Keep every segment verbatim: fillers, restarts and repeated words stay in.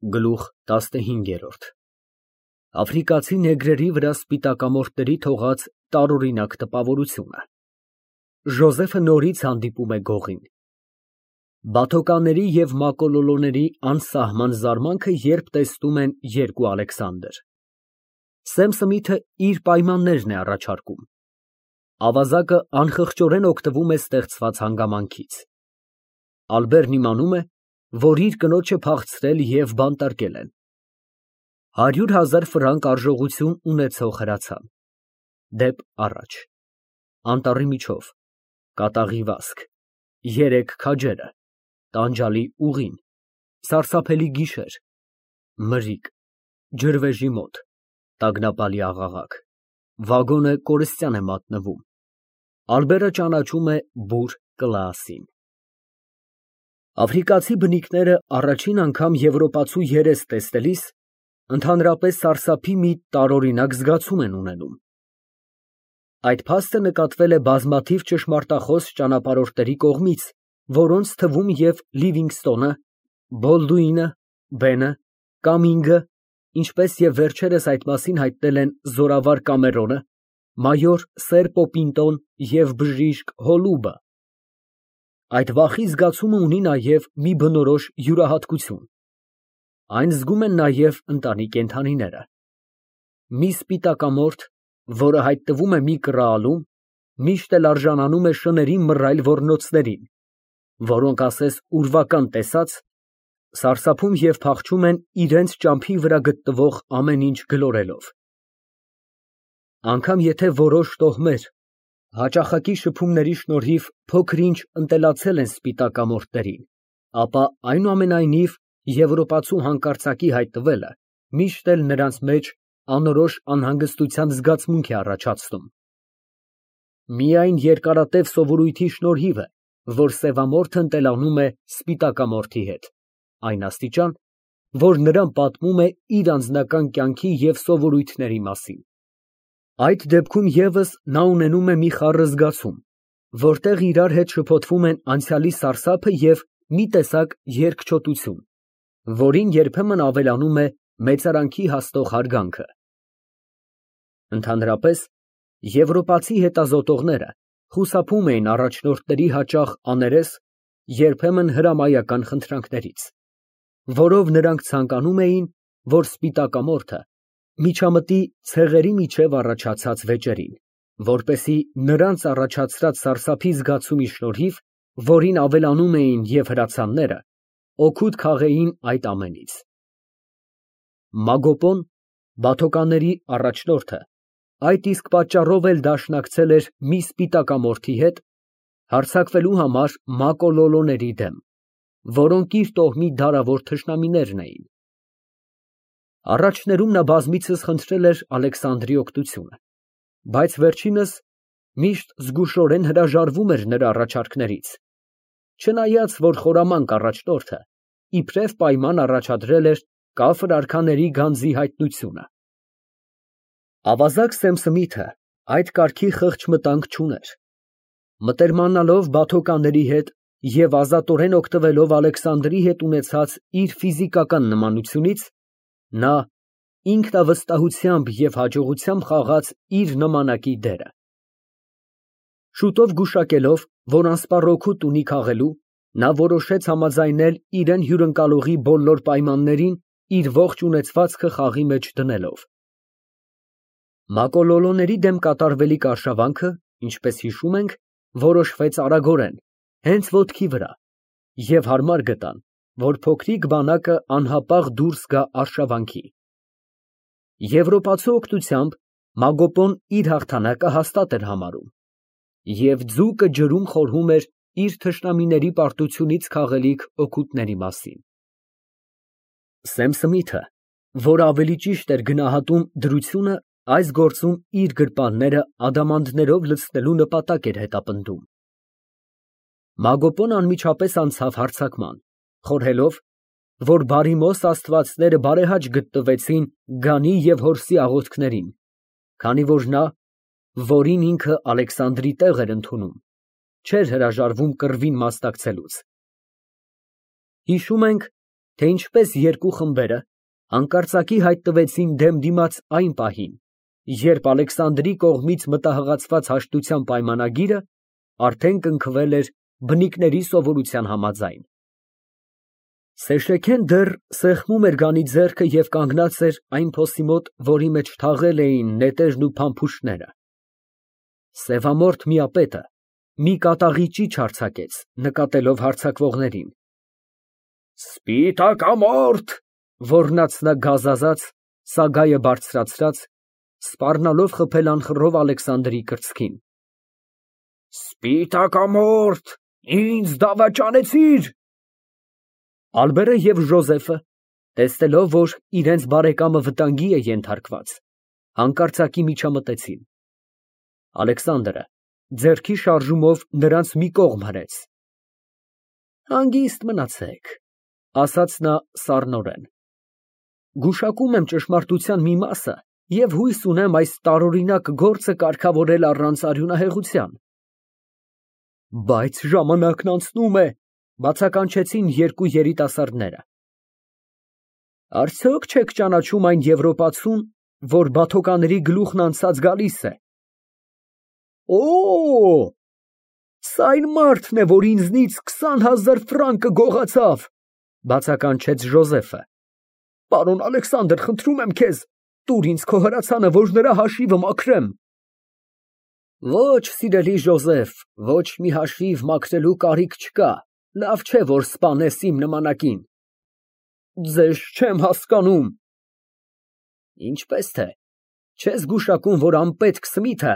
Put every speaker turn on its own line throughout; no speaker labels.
Գլուխ տասնհինգ. Աֆրիկացի նեգրերի վրա սպիտակամորթների թողած տարօրինակ տպավորությունը։ Ժոզեֆը նորից հանդիպում է գողին։ Բաթոկանների և մակոլոլոների անսահման զարմանքը երբ տեսնում են երկու Ալեքսանդր։ Սեմ Սմիթը իր պայմաններն է առաջարկում։ Ավազակը անխղճորեն օգտվում է ստեղծված հանգամանքից։ Ալբերն իմանում է, որ իր կնոջը փախցրել և բանտարկել են։ Հարյուր հազար ֆրանկ արժողություն ունեցող հրացան։ Դեպ առաջ։ Անտառի միջով, կատաղի վազք, երեք քաջերը, տանջալի ուղին, սարսափելի գիշեր, մրրիկ, ջրվեժի մոտ, տագնապալի աղաղակ, վագոնը կորստյան է մատնվում։ Ալբերը ճանաչում է բուռ Կլաասին։ Աֆրիկացի բնիկները առաջին անգամ եվրոպացու երես տեսնելիս ընդհանրապես սարսափի մի տարօրինակ զգացում են ունենում։ Այդ փաստը նկատվել է բազմաթիվ ճշմարտախոս ճանապարհորդների կողմից, որոնց թվում և Լիվինգստոնը, Բոլդուինը, Բենը, Կամինգը, ինչպես և վերջերս այդ մասին հայտնել են զորավար Կամերոնը, մայոր Սեր Պոպինտոն և բժիշկ Հոլուբը։ Այդ վախի զգացումը ունի նաև մի բնորոշ յուրահատկություն. այն զգում են նաև ընտանի կենդանիները։ Մի սպիտակամորթ, որը հայտնվում է մի կռահալում, միշտ էլ արժանանում է շներին մռայլ ոռնոցներին, որոնք ասես ուրվական տեսած, սարսափում և փախչում են իրենց ճամփի վրա գտնվող ամեն ինչ գլորելով։ Անգամ եթե որոշ տոհմեր հաճախակի շփումների շնորհիվ փոքր-ինչ ընտելացել են սպիտակամորթներին, ապա այնուամենայնիվ եվրոպացու հանկարծակի հայտնվելը միշտ էլ նրանց մեջ անորոշ անհանգստության զգացմունք է առաջացնում։ Միայն երկարատև սովորույթի շնորհիվ է, որ սևամորթը ընտելանում է սպիտակամորթի հետ, այն աստիճան, որ նրան պատմում է իր անձնական կյանքի և սովորույթների մասին։ Այդ դեպքում ևս նա ունենում է մի խառը զգացում, որտեղ իրար հետ շփոթվում են անցյալի սարսափը և մի տեսակ երկչոտություն, որին երբեմն ավելանում է մեծարանքի հասնող հարգանքը։ Ընդհանրապես, եվրոպացի հետազոտողները խուսափում էին առաջնորդների հաճախ աներես, երբեմն հրամայական խնդրանքներից, որով նրանք ցանկանում էին, որ սպիտակամորթը միջամտի ցեղերի միջև առաջացած վեճերին, որպեսզի նրանց առաջացրած սարսափի զգացումի շնորհիվ, որին ավելանում էին և հրացանները, օգուտ քաղեին այդ ամենից։ Մագոպոն, բաթոկանների առաջնորդը, այդ իսկ պատճառով էլ դաշնակցել էր մի սպիտակամորթի հետ, հարձակվելու համար մակոլոլոների դեմ, որոնք իր տոհմի դարավոր թշնամիներն էին։ Առաջներում նա բազմիցս խնդրել էր Ալեքսանդրի օգնությունը, բայց վերջինս միշտ զգուշորեն հրաժարվում էր նրա առաջարկներից, չնայած որ խորամանկ առաջնորդը իբրև պայման առաջադրել էր կաֆր արքաների գանձի հայտնությունը։ Ավազակ Սեմ Սմիթը այդ կարգի խղճ մտանք չուներ։ Մտերմանալով բաթոկանների հետ և ազատորեն օգտվելով Ալեքսանդրի հետ ունեցած իր ֆիզիկական նմանությունից, նա ինքնավստահությամբ և հաջողությամբ խաղաց իր նմանակի դերը։ Շուտով գուշակելով, որ անսպառ օգուտ ունի քաղելու, նա որոշեց համաձայնել իրան հյուրընկալողի բոլոր պայմաններին իր ողջ ունեցվածքը խաղի մեջ դնելով։ Մակոլոլոների դեմ կատարվելիք արշավանքը, ինչպես հիշում ենք, որոշվեց արագորեն, հենց ոտքի վրա, և հարմար գտան, որ փոքրիկ բանակը անհապաղ դուրս գա արշավանքի։ Եվրոպացու օգնությամբ Մագոպոն իր հաղթանակը հաստատ էր համարում և ձուկը ջրում խորհում էր իր թշնամիների պարտությունից քաղելիք օգուտների մասին։ Սեմ Սմիթը, որ ավելի ճիշտ էր գնահատում դրությունը, այս գործում իր գրպանները ադամանդներով լցնելու նպատակ էր հետապնդում։ Մագոպոն անմիջապես անցավ հարձակման, խորհելով, որ բարիմոս աստվածները բարեհաճ գտնվեցին գանի և որսի աղոթքներին, քանի որ նա, որին ինքը Ալեքսանդրի տեղ էր ընդունում, չէր հրաժարվում կռվին մասնակցելուց։ Հիշում ենք, թե ինչպես երկու խմբերը հանկարծակի հայտնվեցին դեմ դիմաց այն պահին, երբ Ալեքսանդրի կողմից մտահղացված հաշտության պայմանագիրը արդեն կնքվել էր բնիկների սովորության համաձայն։ Սեշեքեն դեռ սեղմում էր Գանի ձեռքը և կանգնած էր այն փոսի մոտ, որի մեջ թաղել էին նետերն ու փամփուշտները։ Սևամորթ միապետը մի կատաղի ճիչ արձակեց, նկատելով հարձակվողներին։ Սպիտակամորթ, ոռնաց նա գազազած, սագայը բարձրացրած, սպառնալով խփել անխռով Ալեքսանդրի կրծքին։ Սպիտակամորթ, ինձ դավաճանեցիր։ Ալբերը և Ժոզեֆը, տեսնելով, որ իրենց բարեկամը վտանգի է ենթարկված, հանկարծակի միջամտեցին։ Ալեքսանդրը ձեռքի շարժումով նրանց մի կողմ հրեց։ Հանգիստ մնացեք, ասաց նա սառնորեն։ Գուշակում եմ ճշմարտության մի մասը և հույս ունեմ այս տարօրինակ գործը կարգավորել առանց արյունահեղության։ Բայց ժամանակն անցնում է, բացականչեցին երկու երիտասարդները։ Արդյոք չեք ճանաչում այն եվրոպացուն, որ բաթոկանների գլուխն անցած գալիս է։ Օ, սա այն մարդն է, որ ինձնից քսան հազար ֆրանկը գողացավ, բացականչեց Ժոզեֆը։ Պարոն Ալեքսանդր, խնդրում եմ քեզ, տուր ինձ քո հրացանը, որ նրա հաշիվը մաքրեմ։ Ոչ, սիրելի Ժոզեֆ, ոչ մի հաշիվ մաքրելու կարիք չկա, լավ չէ, որ սպանես իմ նմանակին։ Ձեզ չեմ հասկանում։ Ինչպես թե, չես գուշակում, որ անպետք Սմիթը,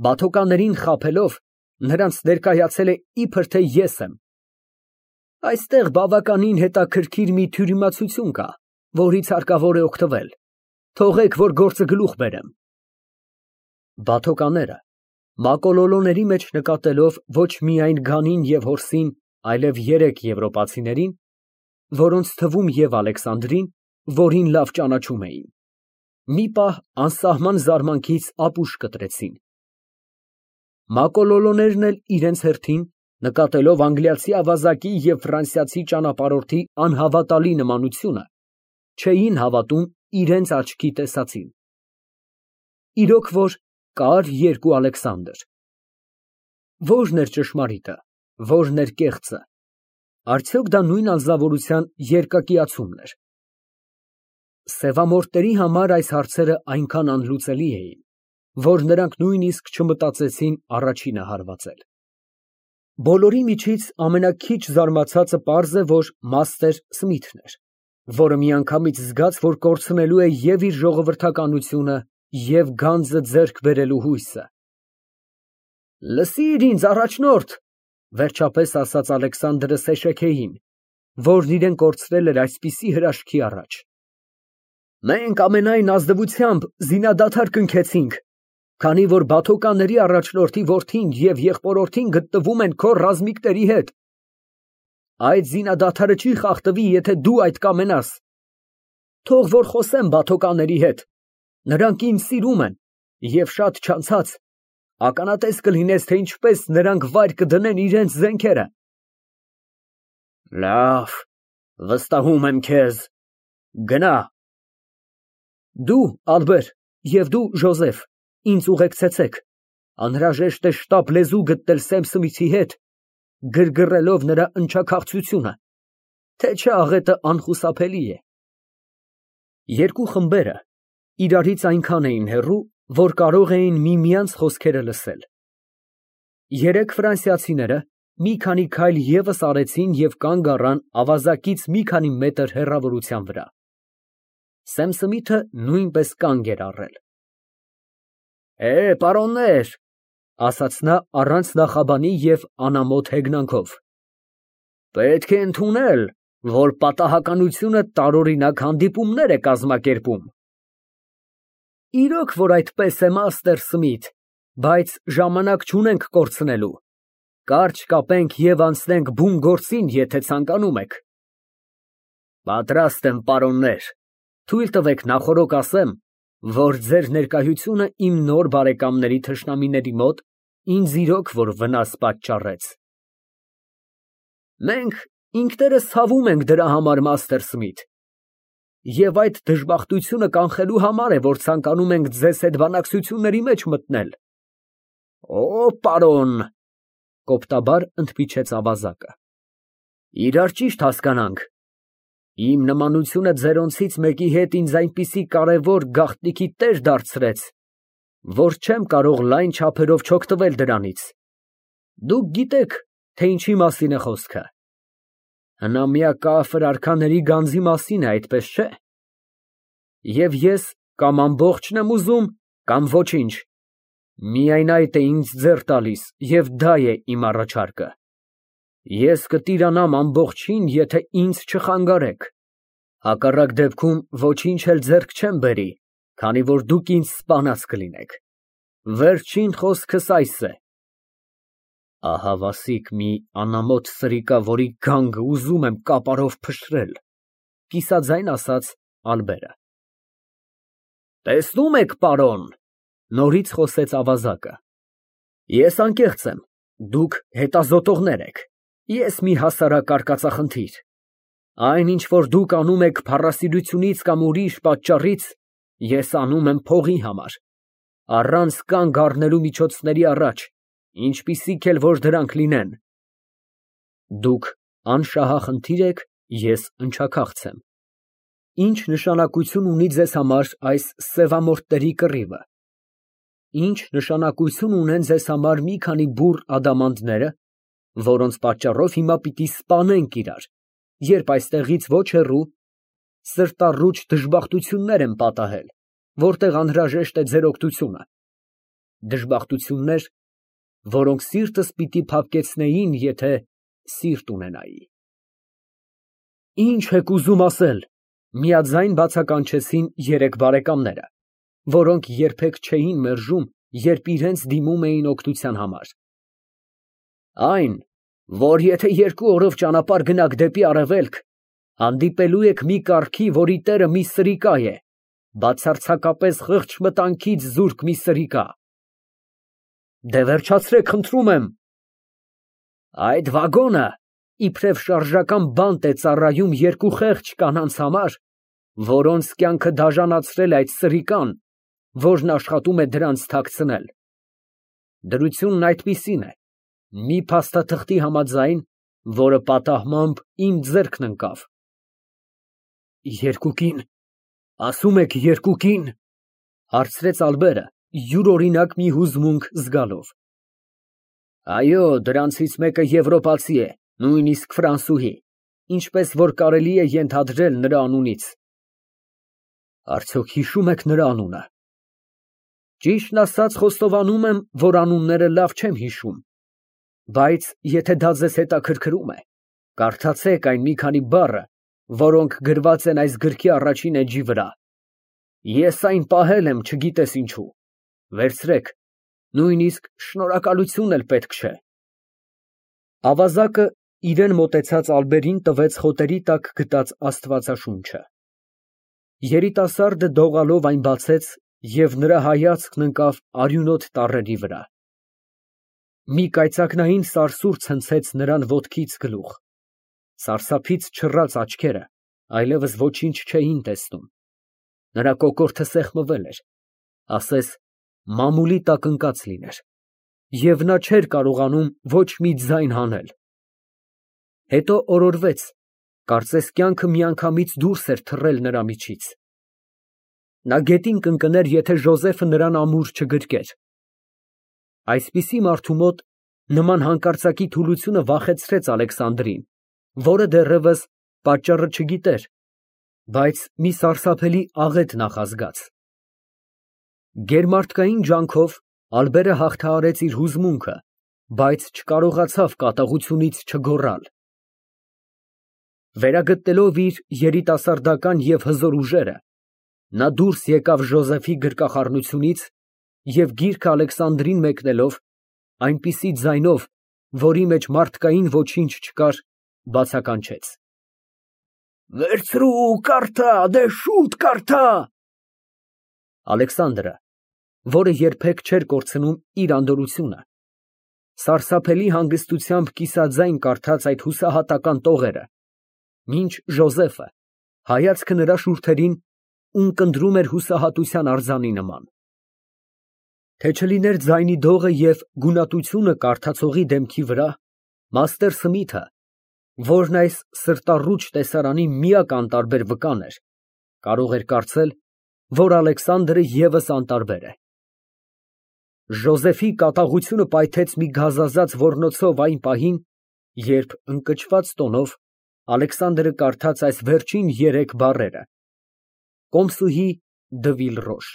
բաթոկաններին խաբելով, նրանց ներկայացել է իբր թե ես եմ։ Այստեղ բավականին հետաքրքիր մի թյուրիմացություն կա, որից հարկավոր է օգտվել։ Թողեք, որ գործը գլուխ բերեմ։ Բաթոկաները, մակոլոլոների մեջ նկատելով ոչ միայն Գանին և Հորսին, այլև երեք եվրոպացիներին, որոնց թվում և Ալեքսանդրին, որին լավ ճանաչում էին, մի պահ անսահման զարմանքից ապուշ կտրեցին։ Մակոլոլոներն էլ իրենց հերթին, նկատելով անգլիացի ավազակի և ֆրանսիացի ճանապարհորդի անհավատալի նմանությունը, չէին հավատում իրենց աչքի տեսածին։ Իրոք որ կար երկու Ալեքսանդր։ Ո՞րն էր ճշմարիտը, ո՞րն էր կեղծը։ Արդյոք դա նույն անձնավորության երկակիացումն էր։ Սևամորթների համար այս հարցերը այնքան անլուծելի էին, որ նրանք նույնիսկ չմտածեցին առաջինը հարվածել։ Բոլորի միջից ամենաքիչ զարմացածը պարզ է, որ մաստեր Սմիթն էր, որը միանգամից զգաց, որ կորցնելու է և իր ժողովրդականությունը, և գանձը ձեռք բերելու հույսը։ Լսիր ինձ, առաջնորդ, վերջապես ասաց Ալեքսանդրը Սեշեքեին, որն իրեն կորցրել էր այսպիսի հրաշքի առաջ։ Մենք ամենայն ազնվությամբ զինադադար կնքեցինք, քանի որ բաթոկանների առաջնորդի որդին և եղբորորդին գտնվում են քո ռազմիկների հետ։ Այդ զինադադարը չի խախտվի, եթե դու այդ կամենաս։ Թող որ խոսեմ բաթոկանների հետ, նրանք ինձ սիրում են, և շատ չանցած ականատես կլինես, թե ինչպես նրանք վայր կդնեն իրենց զենքերը։ Լավ, վստահում եմ քեզ, գնա։ Դու, Ալբեր, և դու, Ժոզեֆ, ինձ ուղեկցեցեք, անհրաժեշտ է շտապ լեզու գտնել Սեմ Սմիթի հետ, գրգռելով նրա ընչաքաղցությունը, թե չէ աղետը անխուսափելի է։ Երկու խմբերը իրարից այնքան էին հեռու, որ կարող էին միմյանց խոսքերը լսել։ Երեք ֆրանսիացիները մի քանի քայլ ևս արեցին և կանգ առան ավազակից մի քանի մետր հեռավորության վրա։ Սեմ Սմիթը նույնպես կանգ էր առել։ Է, պարոններ, ասաց նա առանց նախաբանի և անամոթ հեգնանքով, պետք է ընդունել, որ պատահականությունը տարօրինակ հանդիպումներ է կազմակերպում։ Իրոք որ այդպես է, մաստեր Սմիթ, բայց ժամանակ չունենք կորցնելու, կարճ կապենք և անցնենք բուն գործին, եթե ցանկանում եք։ Պատրաստ եմ, պարոններ, թույլ տվեք նախօրոք ասեմ, որ ձեր ներկայությունը իմ նոր բարեկամների թշնամիների մոտ ինձ իրոք որ վնաս պատճառեց։ Մենք ինքներս ցավում ենք դրա համար, Մաստեր Սմիթ։ Եվ այդ դժբախտությունը կանխելու համար է, որ ցանկանում ենք ձեզ հետ բանակցությունների մեջ մտնել։ Օ, պարոն, կոպտաբար ընդմիջեց ավազակը։ Իրար ճիշտ հասկանանք։ Իմ նմանությունը ձերոնցից մեկի հետ ինձ այնպիսի կարևոր գաղտնիքի տեր դարձրեց, որ չեմ կարող լայն չափերով չօգտվել դրանից։ Դուք գիտեք, թե ինչի մասին է խոսքը։ Հնամյա կաֆր արքաների գանձի մասին է, այդպես չէ։ Եվ ես կամ ամբողջն եմ ուզում, կամ ոչինչ։ Միայն այդ է ինձ ձեռ տալիս, և դա է իմ առաջարկը։ Ես կտիրանամ ամբողջին, եթե ինձ չխանգարեք։ Հակառակ դեպքում ոչինչ էլ ձեռք չեմ բերի, քանի որ դուք ինձ սպանած կլինեք։ Վերջին խոսքս այս է։ Ահավասիկ մի անամոթ սրիկա, որի գանգը ուզում եմ կապարով փշրել, կիսաձայն ասաց Ալբերը։ Տեսնում եք, պարոն, նորից խոսեց ավազակը։ Ես անկեղծ եմ, դուք հետազոտողներ եք, ես մի հասարակ արկածախնդիր։ Այն, ինչ որ դուք անում եք փառասիրությունից կամ ուրիշ պատճառից, ես անում եմ փողի համար, առանց կանգ առնելու միջոցների առաջ, ինչպիսիք էլ որ դրանք լինեն։ Դուք անշահախնդիր եք, ես ընչաքաղց եմ։ Ինչ նշանակություն ունի ձեզ համար այս սևամորթների կռիվը։ Ինչ նշանակություն ունեն ձեզ համար մի քանի բուռ ադամանդները, որոնց պատճառով հիմա պիտի սպանենք իրար, երբ այստեղից ոչ հեռու սրտառուչ դժբախտություններ են պատահել, որտեղ անհրաժեշտ է ձեր օգնությունը։ Դժբախտություններ, որոնք սիրտս պիտի փափկեցնեին, եթե սիրտ ունենայի։ Ինչ եք ուզում ասել, միաձայն բացականչեցին երեք բարեկամները, որոնք երբեք չէին մերժում, երբ իրենց դիմում էին օգնության համար։ Այն, որ եթե երկու օրով ճանապարհ գնաք դեպի արևելք, հանդիպելու եք մի կառքի, որի տերը մի սրիկա է, բացարձակապես խղճ մտանքից զուրկ մի սրիկա։ Դե վերջացրեք, խնդրում եմ։ Այդ վագոնը իբրև շարժական բանտ է ծառայում երկու խեղճ կանանց համար, որոնց կյանքը դաժանացրել է այդ սրիկան, որն աշխատում է դրանց թաքցնել։ Դրությունն այդպիսին է, մի փաստաթղթի համաձայն, որը պատահմամբ իմ ձեռքն ընկավ։ Երկուկին, ասում եք երկուկին, հարցրեց Ալբերը, յուրօրինակ մի հուզմունք զգալով։ Այո, դրանցից մեկը եվրոպացի է, նույնիսկ ֆրանսուհի, ինչպես որ կարելի է ենթադրել նրա անունից։ Արդյոք հիշում եք նրա անունը։ Ճիշտն ասած, խոստովանում եմ, որ անունները լավ չեմ հիշում, բայց եթե դա ձեզ հետաքրքրում է, կարդացեք այն մի քանի բառը, որոնք գրված են այս գրքի առաջին էջի վրա։ Ես այն պահել եմ, չգիտես ինչու։ Վերցրեք, նույնիսկ շնորհակալություն էլ պետք չէ։ Ավազակը իրեն մոտեցած Ալբերին տվեց խոտերի տակ գտած աստվածաշունչը։ Երիտասարդը դողալով այն բացեց և նրա հայացքն ընկավ արյունոտ տառերի վրա։ Մի կայծակնային սարսուռ ցնցեց նրան ոտքից գլուխ։ Սարսափից չռած աչքերը այլևս ոչինչ չէին տեսնում։ Նրա կոկորդը սեղմվել էր, ասես մամուլի տակ ընկած լիներ, և նա չէր կարողանում ոչ մի ձայն հանել։ Հետո օրորվեց, կարծես կյանքը միանգամից դուրս էր թռել նրա միջից։ Նա գետին կընկներ, եթե Ժոզեֆը նրան ամուր չգրկեր։ Այսպիսի մարդու մոտ նման հանկարծակի թուլությունը վախեցրեց Ալեքսանդրին, որը դեռևս պատճառը չգիտեր, բայց մի սարսափելի աղետ նախազգաց։ Գերմարդկային ջանքով Ալբերը հաղթահարեց իր հուզմունքը, բայց չկարողացավ կատաղությունից չգոռալ։ Վերագտնելով իր երիտասարդական և հզոր ուժերը, նա դուրս եկավ Ժոզեֆի գրկախառնությունից և գիրքը Ալեքսանդրին մեկնելով, այնպիսի ձայնով, որի մեջ մարդկային ոչինչ չկար, բացականչեց. Վերցրու, կարդա, դե շուտ կարդա։ Ալեքսանդրը, որը երբեք չէր կորցնում իր անդորրությունը, Սարսափելի հանգստությամբ կիսաձայն կարդաց այդ հուսահատական տողերը, մինչ Ժոզեֆը, հայացքը նրա շուրթերին, ունկնդրում էր հուսահատության արձանի նման։ Թե չլիներ ձայնի դողը և գունատությունը կարդացողի դեմքի վրա, մաստեր Սմիթը, որն այս սրտառուչ տեսարանի միակ անտարբեր վկան էր, կարող էր կարծել, որ Ալեքսանդրը ևս անտարբեր է։ Ժոզեֆի կատաղությունը պայթեց մի գազազած ոռնոցով այն պահին, երբ ընկճված տոնով Ալեքսանդրը կարդաց այս վերջին երեք բառերը. «Կոմսուհի Դը Վիլռոշ»։